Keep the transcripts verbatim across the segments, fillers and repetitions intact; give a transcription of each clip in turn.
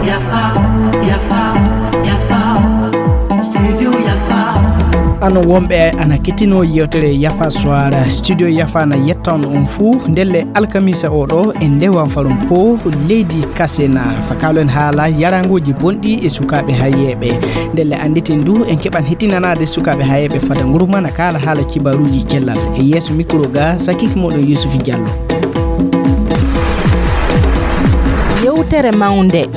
Yafa, yafa, yafa. Studio yafa. Ano wonɓe ana kettino yewtere Yafa Soir, studio Yafa na yettan on fuu ndelle alkamisa oɗo e ndewa farum po leydi Kasena. Fakalo en haala yaranguji bonɗi e sukaaɓe hayeeɓe. Ndelle annditen du en keɓan hettinanaade sukaaɓe hayeeɓe fada ngurmana kaala haala kibaruuji cellal. E yeeso mikro ga sakiki moɗon Yusufi Diallo. Yewtere mawnde.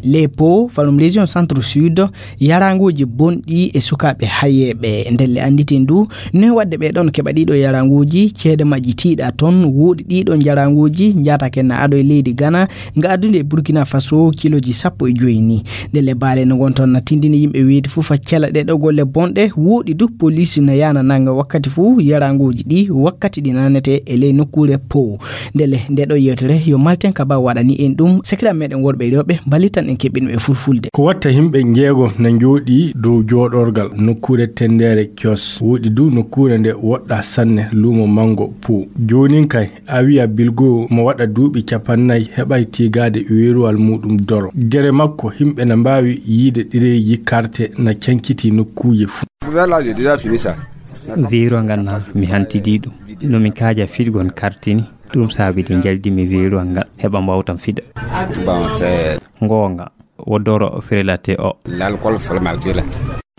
Lepo falum région centre sud, yaranguji bonɗi e sukaaɓe hayeeɓe. Ndelle annditen du noy waɗde ɓe ɗon keɓa ɗiɗo yaranguji, ceede majji tiiɗa ton. Woɗi ɗiɗo yaranguji njatake na ado e leydi Ghana, nga addude e Burkina Faso kiloji sappo e joyi ni. Ndelle baale no ngon ton na tindini yimɓe weydi fuu fa cela ɗe ɗo golle bonɗe. Woɗi du police na yana nanga wakkati fuu yaranguji ɗi wakkati ɗi nanete e ley nokkuure pow. Ndelle nde ɗo yewtere yo malten ka ba waɗani en ɗum sekira meɗen worɓe e rewɓe ballitan en keɓɓin ɓe fulfulde. Ko watta yimɓe njeego na njooɗi dow jooɗorgal nokkuure tendere kios. Woɗi du nokkuure nde woɗɗa sanne luumo mango pow. Joonin kay, Awiya Bilgo mo waɗa duuɓi capannay heɓay tiigaade weeruwal muuɗum doro. Gere makko, yimɓe na mbaawi yiide ɗereeji karte na cankiti nokkuuje fuu. Vers là, j'ai déjà fini ça. Weeruwal ngal na mi hantidii ɗum. No mi kaaja fiɗgol kartini, ɗum saabidi njaldi mi weeruwal ngal heɓa mbawtam fiɗa. Bon, c'est Ngoonga, wo doro firelate o. L'alcool formaldehyde.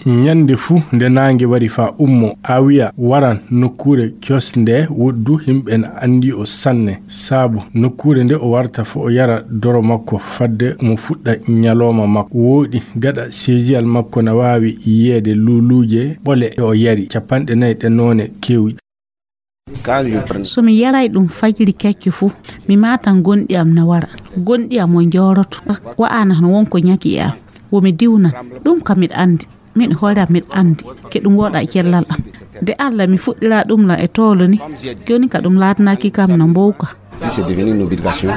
Ñande fuu nde naange wari faa ummo, Awiya waran nokkuure kios nde woɗdu yimɓe na anndi o sanne. Saabu nokkuure nde o warta fo o yara doro makko fadde mo fuɗɗa ñalooma makko. Wooɗi gaɗa seesiyal makko na waawi yiyeede luuluuje ɓole ɗe o yari, capanɗe nayi ɗe noone keewɗi. So mi yaray ɗum fajiri kecco fuu, mi maatan gonɗi am na wara. Gonɗi am o njooroto, wa'ana no won ko ñaki e am. Wo mi diwnan, ɗum ka miɗa anndi. Min hoore am miɗa anndi ke ɗum woɗa e cellal am. De Alla mi fuɗɗira ɗum la e toolo ni, jooni ka ɗum laatanaaki kam no mbowka. Puis c'est devenu une obligation.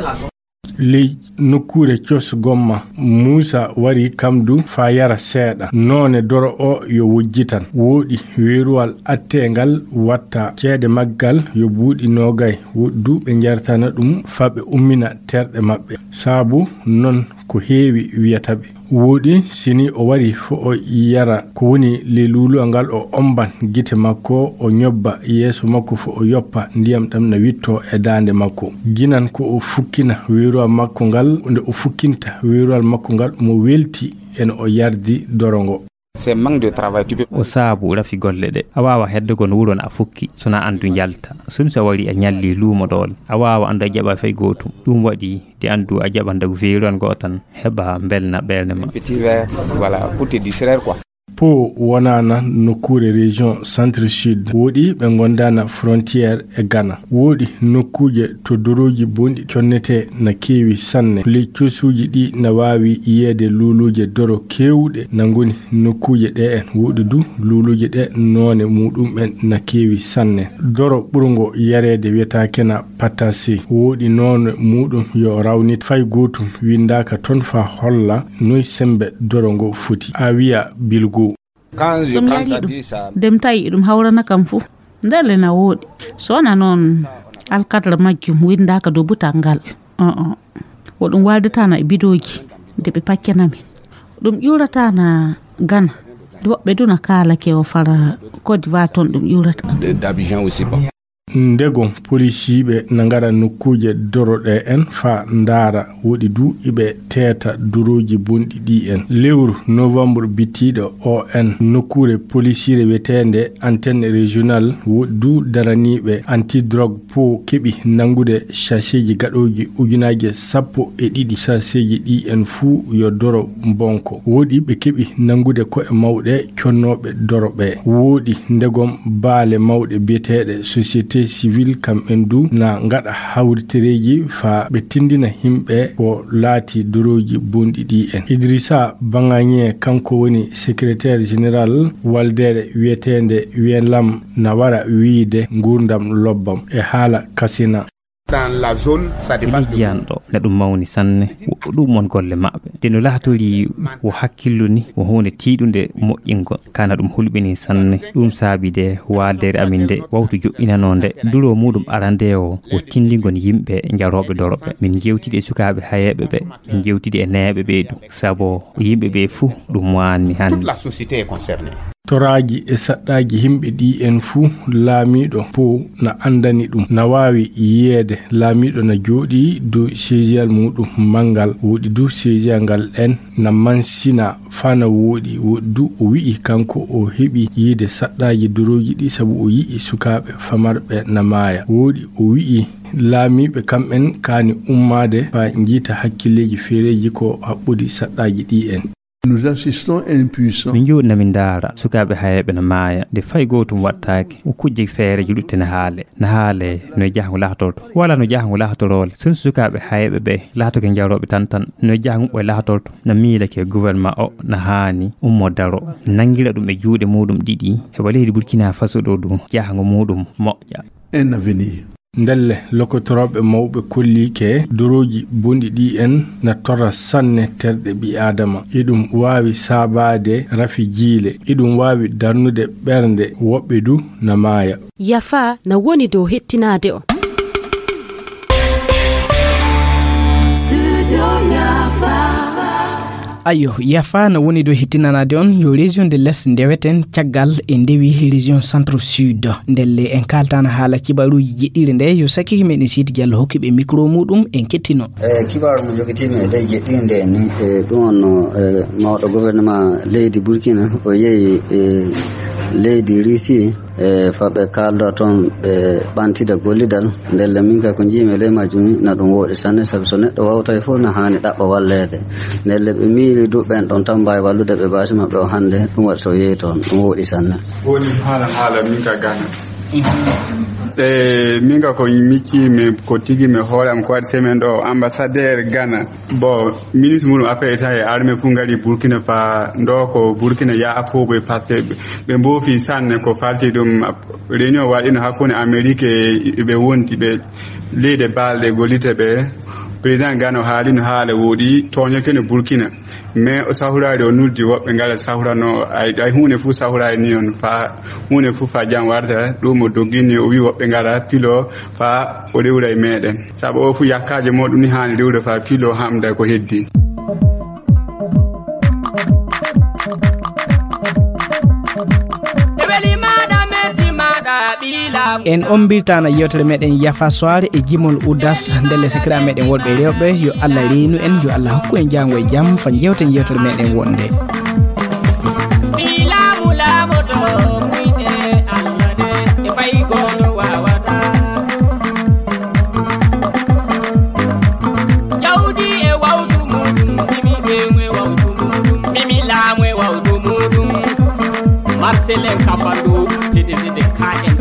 Ley nokkuure cos gomma, Muusa wari kam du faa yara seeɗa. Noone doro o yo wujjitan. Wooɗi weeruwal atteengal watta ceede maggal yo buuɗi noogay. Woɗdu ɓe njartana ɗum faa ɓe ummina terɗe maɓɓe. Saabu non ko heewi wiyata ɓe. Wooɗi, si ni o wari fo o yara ko woni ley luuluwal ngal, o omban gite makko, o ñobba yeeso makko fo o yoppa ndiyam ɗam na witto e daande makko. Ginan ko o fukkina weeruwal makko ngal, nde o fukkinta weeruwal makko ngal, mo welti en o yardi doro ngo. C'est manque de travail, tu peux. O saabu rafi golle ɗe. A waawa heddogol wuro na a fukki, so na andu njalta. Sum so wari a ñalli luumo ɗoon. A waawa andu a jaɓa fay gootum. Ɗum waɗi de andu a jaɓa ndagu feeruwal ngo tan, heɓa mbelna ɓernde ma. Petit verre, voilà, pour te distraire, quoi. Po wonana nokkuure région centre sud. Wooɗi ɓe ngondana frontière e Ghana. Wooɗi nokkuuje to dorooji bonɗi connetee na keewi sanne. Ley cosuuji ɗi na waawi yiyeede luuluuje doro keewɗe na ngoni nokkuuje ɗe en. Wooɗi du luuluuje ɗe noone muuɗum en na keewi sanne. Doro ɓurngo yareede wiyetaake na Patase. Wooɗi noone muuɗum yo rawnit. Fay gootum winndaaka toon faa holla noy semmbe doro ngo foti. Awiya Bilgo. So mi yari ɗum, de mi tawi eɗum hawrana kam fuu. Ndelle na wooɗi. So wona noon alkadra majjum winndaaka dow butal ngal. Ko ɗum waaldataa na e bidooji de ɓe paccana min. Ɗum ƴuurataa na Gana. Woɓɓe du na kaalake o fara Côte d'Ivoire toon ɗum ƴuurata. Ndegom polisiiɓe na ngara nokkuuje doro ɗe en faa ndaara woɗi du iɓe teeta dorooji bonɗi ɗi en. Lewru novembre bittiiɗo o en nokkuure polisiire wiyeteende antenne régional woɗi du daraniiɓe antidrogue po keɓi nanngude sachetji gaɗooji ujunaaje sappo e ɗiɗi. Sachetji ɗi en fuu yo doro bonko. Woɗi ɓe keɓi nanngude ko'e mawɗe connooɓe doro ɓe. Woɗi ndegom baale mawɗe biyeteeɗe société civile kam en du na ngaɗa hawritereeji faa ɓe tinndina yimɓe ko laati dorooji bonɗi ɗi en. Idrissa Bangagne kanko woni secrétaire général waldeere wiyeteende Wiyelam na wara wiyde nguurndam lobbam e haala Kasina. Dans la zone, ça dépasse le... Lijiyan ɗo na ɗum mawni sanne. Wo ɗum won golle maɓɓe. Nde no laatorii wo hakkillo ni, wo huunde tiiɗunde moƴƴingol. Kana ɗum hulɓinii sanne. Ɗum saabi de waaldere amin nde wawtu joɗɗinanoo nde. Duro muɗum arande o wo tindingol yimɓe njarooɓe doroɓe. Min jewtidi e sukaaɓe hayeeɓe ɓe. Min jewtidi e neeɓe ɓe ɗum. Sabo yimɓe ɓe fuu ɗum waanni hannde. Toute la société est concernée. Toraaji e saɗɗaaji yimɓe ɗi en fuu, laamiiɗo po na anndani ɗum. Na waawi yiyeede laamiiɗo na jooɗii dow seesiyal muuɗum manngal, woɗi du seesiyal ngal en na mansina faa na wooɗi. Woɗi du o wi'i kanko o heɓi yiide saɗɗaaji dorooji ɗi sabu o yi'i sukaaɓe famarɓe na maaya. Woɗi o wi'i laamiiɓe kamɓen kaani ummaade faa njiita hakkilleeji feereeji ko haɓɓudi saɗɗaaji ɗi en. Nous assistons à un puissant... Min jooɗi na min ndaara sukaaɓe hayeeɓe na maaya. Nde fay gootum waɗtaake. O kujje feereeji lutte na haale. Na haale no e jahango laatorto. Wala no jahango laatoroole. Sun sukaaɓe hayeeɓe ɓe laatoke njarooɓe tan tan. No e jahango ɓe laatorto. Na miilake gouvernement o na haani ummo daro. Nangira ɗum e juuɗe muɗum ɗiɗi. Heɓa leydi Burkina Faso ɗo ɗum jahango muɗum moƴƴa. Un avenir. Ndelle, lokotorooɓe mawɓe kolliike dorooji bonɗi ɗi en na torra sanne terɗe ɓii Aadama. Iɗum waawi saabaade rafi jiile. Iɗum waawi darnude ɓernde woɓɓe du na maaya. Yafa na woni dow hettinaade on. Studio Yafa. Ayo, Yafa na woni dow hettinanaade on yo région de l'Est ndeweten caggal e ndewi région centre sud. Ndelle en kaaltana haala kibaruuji jeɗɗiire nde yo sakkiike meɗen Sidi Diallo hokki ɓe micro muɗum en kettino. E kibaru mo jogitiimi e ley jeɗɗiire nde ni, e ɗum on no, e mawɗo gouvernement leydi Burkina o yehi e leydi Russie. E fa ɓe kaalda toon ɓe ɓantida gollidal. Ndelle min kay ko njiimi e ley majjum ni na ɗum wooɗi sanne, sabu so neɗɗo wawtay fof na haani ɗaɓɓa walleede. Ndelle ɓe miili du ɓen ɗon tan mbaawi wallude ɓe baasi maɓɓe o hannde, ɗum waɗi so yehi toon ɗum wooɗi sanne. Woni haala haala min ka Ghana. E min ka ko micci mi ko tigi mi hoore am ko waɗi semaine ɗo ambassadeur Ghana. Bon, ministre muɗum affaire étrangère e armée fof ngari Burkina fa ndo ko Burkina ya afo ɓe passe ɓe mbofi sanne ko falti ɗum. Réunion waɗino hakkunde Amérique e ɓe wondi ɓe leyɗe balɗe gollite ɓe. Président Gano haalino haala woɗi toñoke no Burkina, mais o sahuraade o nuldi woɓɓe ngara sahurano ay ay huunde fof sahuraade ni on fa huunde fof fa jam warta. Ɗum o doggini o wi woɓɓe ngara pilo fa o rewra e meɗen. Sabu o fu yakkaajo mo ɗum ni haani rewde fa pilo hamda ko heddi. En ombirtana yewtere meɗen Yafa Soare e jimol Udas ndelle sakira meɗen worɓe e rewɓe. Yo Allah reenu en, yo Allah hokku en jango e jam fa jewten yewtere meɗen wonde. Jawdi e wawdu muɗum, mimi ɓeŋu e wawdu muɗum, mimi laamu e wawdu muɗum. Marcel en kafandu, P D G de K M.